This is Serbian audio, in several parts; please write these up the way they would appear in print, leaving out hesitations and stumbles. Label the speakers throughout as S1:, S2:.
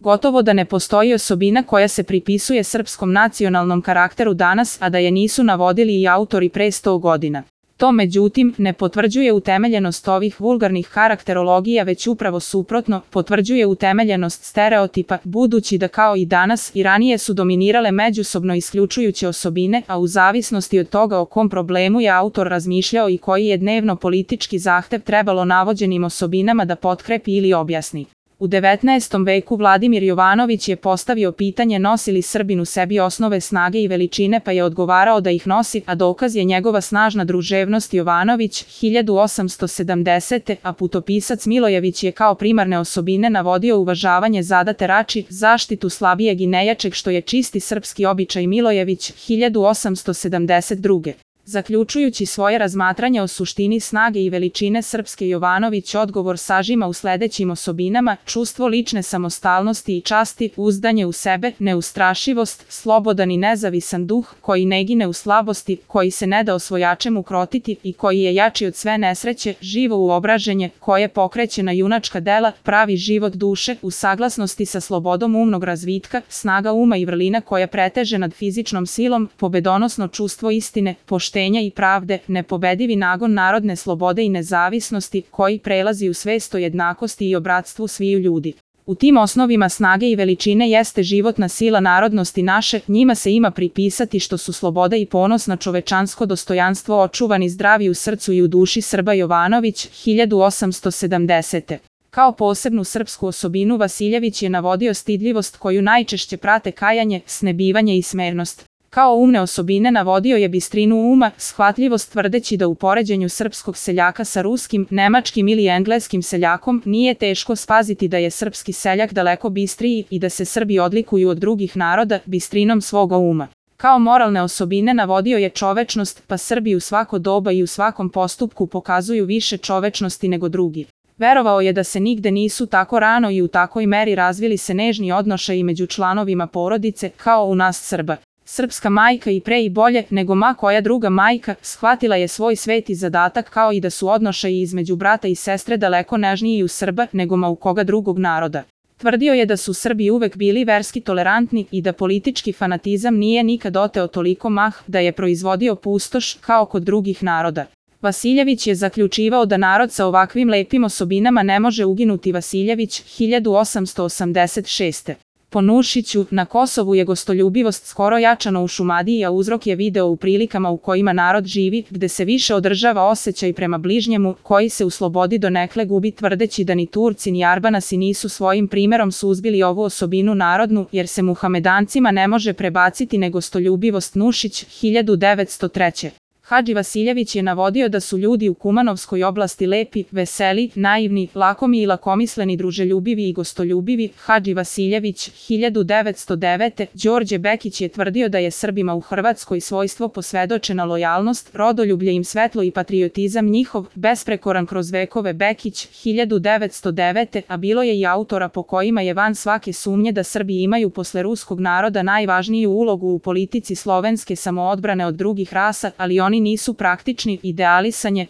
S1: Gotovo da ne postoji osobina koja se pripisuje srpskom nacionalnom karakteru danas, a da je nisu navodili i autori pre 100 godina. To, međutim, ne potvrđuje utemeljenost ovih vulgarnih karakterologija, već upravo suprotno, potvrđuje utemeljenost stereotipa, budući da kao i danas i ranije su dominirale međusobno isključujuće osobine, a u zavisnosti od toga o kom problemu je autor razmišljao i koji je dnevno politički zahtev trebalo navođenim osobinama da potkrepi ili objasni. U 19. veku Vladimir Jovanović je postavio pitanje nosi li Srbin u sebi osnove snage i veličine, pa je odgovarao da ih nosi, a dokaz je njegova snažna druževnost. Jovanović, 1870. a putopisac Milojević je kao primarne osobine navodio uvažavanje zadate rači, zaštitu slabijeg i nejačeg, što je čisti srpski običaj. Milojević, 1872. Zaključujući svoje razmatranje o suštini snage i veličine srpske, Jovanović odgovor sažima u sledećim osobinama: čustvo lične samostalnosti i časti, uzdanje u sebe, neustrašivost, slobodan i nezavisan duh, koji ne gine u slabosti, koji se ne da osvojačem ukrotiti i koji je jači od sve nesreće, živo uobraženje, koje pokreće na junačka dela, pravi život duše, u saglasnosti sa slobodom umnog razvitka, snaga uma i vrlina koja preteže nad fizičnom silom, pobedonosno čustvo istine, poštenja i pravde, nepobedivi nagon narodne slobode i nezavisnosti, koji prelazi u svest o jednakosti i o bratstvu sviju ljudi. U tim osnovima snage i veličine jeste životna sila narodnosti naše, njima se ima pripisati što su sloboda i ponos na čovečansko dostojanstvo očuvani zdravi u srcu i u duši Srba. Jovanović, 1870. Kao posebnu srpsku osobinu Vasiljević je navodio stidljivost koju najčešće prate kajanje, snebivanje i smernost. Kao umne osobine navodio je bistrinu uma, shvatljivost, tvrdeći da u poređenju srpskog seljaka sa ruskim, nemačkim ili engleskim seljakom nije teško spaziti da je srpski seljak daleko bistriji i da se Srbi odlikuju od drugih naroda bistrinom svoga uma. Kao moralne osobine navodio je čovečnost, pa Srbi u svako doba i u svakom postupku pokazuju više čovečnosti nego drugi. Verovao je da se nigde nisu tako rano i u takoj meri razvili se nežni odnošaji među članovima porodice, kao u nas Srba. Srpska majka i pre i bolje nego ma koja druga majka shvatila je svoj sveti zadatak, kao i da su odnošaji između brata i sestre daleko nežniji u Srba nego ma u koga drugog naroda. Tvrdio je da su Srbi uvek bili verski tolerantni i da politički fanatizam nije nikad oteo toliko mah da je proizvodio pustoš kao kod drugih naroda. Vasiljević je zaključivao da narod sa ovakvim lepim osobinama ne može uginuti. Vasiljević, 1886. Po Nušiću, na Kosovu je gostoljubivost skoro jačana u Šumadiji, a uzrok je video u prilikama u kojima narod živi, gde se više održava osjećaj prema bližnjemu, koji se u slobodi donekle gubi, tvrdeći da ni Turci ni Arbanasi nisu svojim primerom suzbili ovu osobinu narodnu, jer se Muhamedancima ne može prebaciti negostoljubivost. Nušić, 1903. Hadži Vasiljević je navodio da su ljudi u Kumanovskoj oblasti lepi, veseli, naivni, lakomi i lakomisleni, druželjubivi i gostoljubivi. Hadži Vasiljević, 1909. Đorđe Bekić je tvrdio da je Srbima u Hrvatskoj svojstvo posvedočena lojalnost, rodoljublje im svetlo i patriotizam njihov, besprekoran kroz vekove. Bekić, 1909. A bilo je i autora po kojima je van svake sumnje da Srbi imaju posle ruskog naroda najvažniju ulogu u politici slovenske samoodbrane od drugih rasa, ali oni nisu praktični.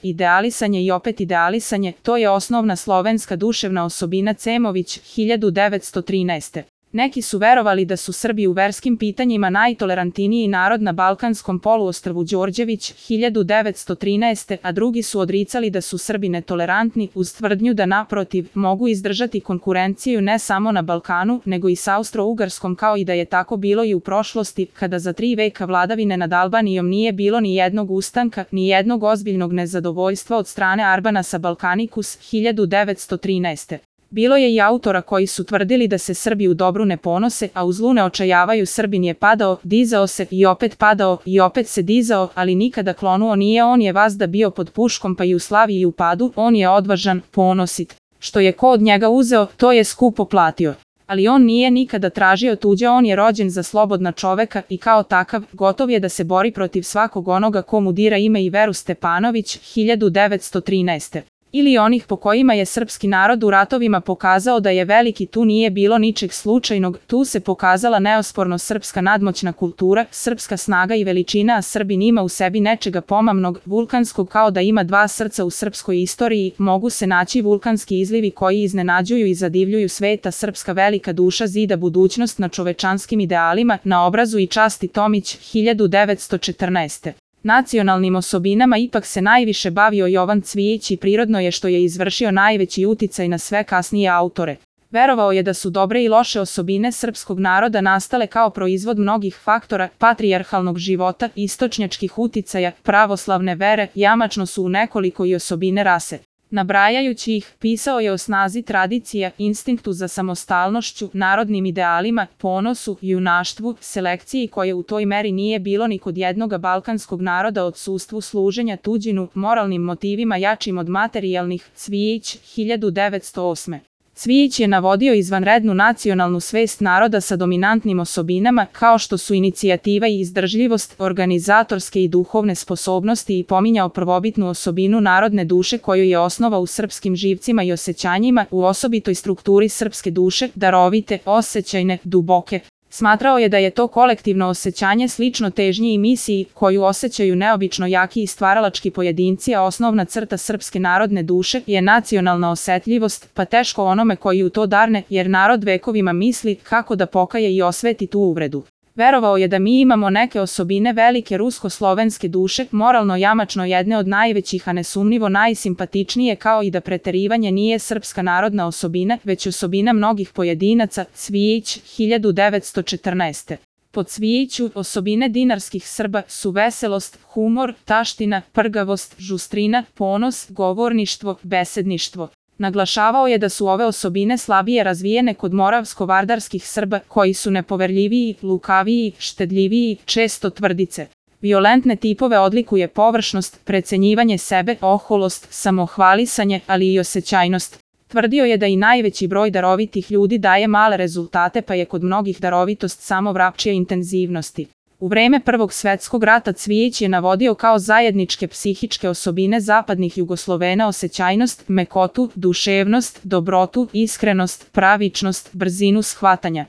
S1: Idealisanje i opet idealisanje, to je osnovna slovenska duševna osobina. Cemović, 1913. Neki su verovali da su Srbi u verskim pitanjima najtolerantniji narod na Balkanskom poluostrvu. Đorđević, 1913. A drugi su odricali da su Srbi netolerantni, uz tvrdnju da naprotiv mogu izdržati konkurenciju ne samo na Balkanu, nego i sa Austro-Ugarskom, kao i da je tako bilo i u prošlosti, kada za 3 veka vladavine nad Albanijom nije bilo ni jednog ustanka, ni jednog ozbiljnog nezadovoljstva od strane Arbanasa. Balkanikus, 1913. Bilo je i autora koji su tvrdili da se Srbi u dobru ne ponose, a u zlu ne očajavaju. Srbin je padao, dizao se i opet padao i opet se dizao, ali nikada klonuo nije. On je vazda bio pod puškom, pa i u slavi i u padu. On je odvažan, ponosit. Što je ko od njega uzeo, to je skupo platio. Ali on nije nikada tražio tuđe, on je rođen za slobodna čoveka i kao takav gotov je da se bori protiv svakog onoga ko mu dira ime i veru. Stepanović, 1913. ili onih po kojima je srpski narod u ratovima pokazao da je veliki, tu nije bilo ničeg slučajnog, tu se pokazala neosporno srpska nadmoćna kultura, srpska snaga i veličina, a Srbin ima u sebi nečega pomamnog, vulkanskog, kao da ima dva srca u srpskoj istoriji, mogu se naći vulkanski izlivi koji iznenađuju i zadivljuju sveta, srpska velika duša zida budućnost na čovečanskim idealima, na obrazu i časti. Tomić, 1914. Nacionalnim osobinama ipak se najviše bavio Jovan Cvijić i prirodno je što je izvršio najveći uticaj na sve kasnije autore. Verovao je da su dobre i loše osobine srpskog naroda nastale kao proizvod mnogih faktora, patrijarhalnog života, istočnjačkih uticaja, pravoslavne vere, jamačno su u nekoliko i osobine rase. Nabrajajući ih, pisao je o snazi tradicija, instinktu za samostalnošću, narodnim idealima, ponosu, junaštvu, selekciji koje u toj meri nije bilo ni kod jednoga balkanskog naroda, odsustvu služenja tuđinu, moralnim motivima jačim od materijalnih. Cvijić, 1908. Cvijić je navodio izvanrednu nacionalnu svest naroda sa dominantnim osobinama, kao što su inicijativa i izdržljivost, organizatorske i duhovne sposobnosti, i pominjao prvobitnu osobinu narodne duše koju je osnova u srpskim živcima i osjećanjima, u osobitoj strukturi srpske duše, darovite, osjećajne, duboke. Smatrao je da je to kolektivno osjećanje slično težnji i misiji koju osjećaju neobično jaki i stvaralački pojedinci, a osnovna crta srpske narodne duše je nacionalna osetljivost, pa teško onome koji u to darne, jer narod vekovima misli kako da pokaje i osveti tu uvredu. Verovao je da mi imamo neke osobine velike rusko-slovenske duše, moralno jamačno jedne od najvećih, a nesumnjivo najsimpatičnije, kao i da preterivanje nije srpska narodna osobina, već osobina mnogih pojedinaca. Cvijić, 1914. Po Cvijiću, osobine dinarskih Srba su veselost, humor, taština, prgavost, žustrina, ponos, govorništvo, besedništvo. Naglašavao je da su ove osobine slabije razvijene kod moravsko-vardarskih Srba, koji su nepoverljiviji, lukaviji, štedljiviji, često tvrdice. Violentne tipove odlikuje površnost, precenjivanje sebe, oholost, samohvalisanje, ali i osjećajnost. Tvrdio je da i najveći broj darovitih ljudi daje male rezultate, pa je kod mnogih darovitost samo vrapčija intenzivnosti. U vreme Prvog svetskog rata Cvijić je navodio kao zajedničke psihičke osobine zapadnih Jugoslovena osjećajnost, mekotu, duševnost, dobrotu, iskrenost, pravičnost, brzinu shvatanja.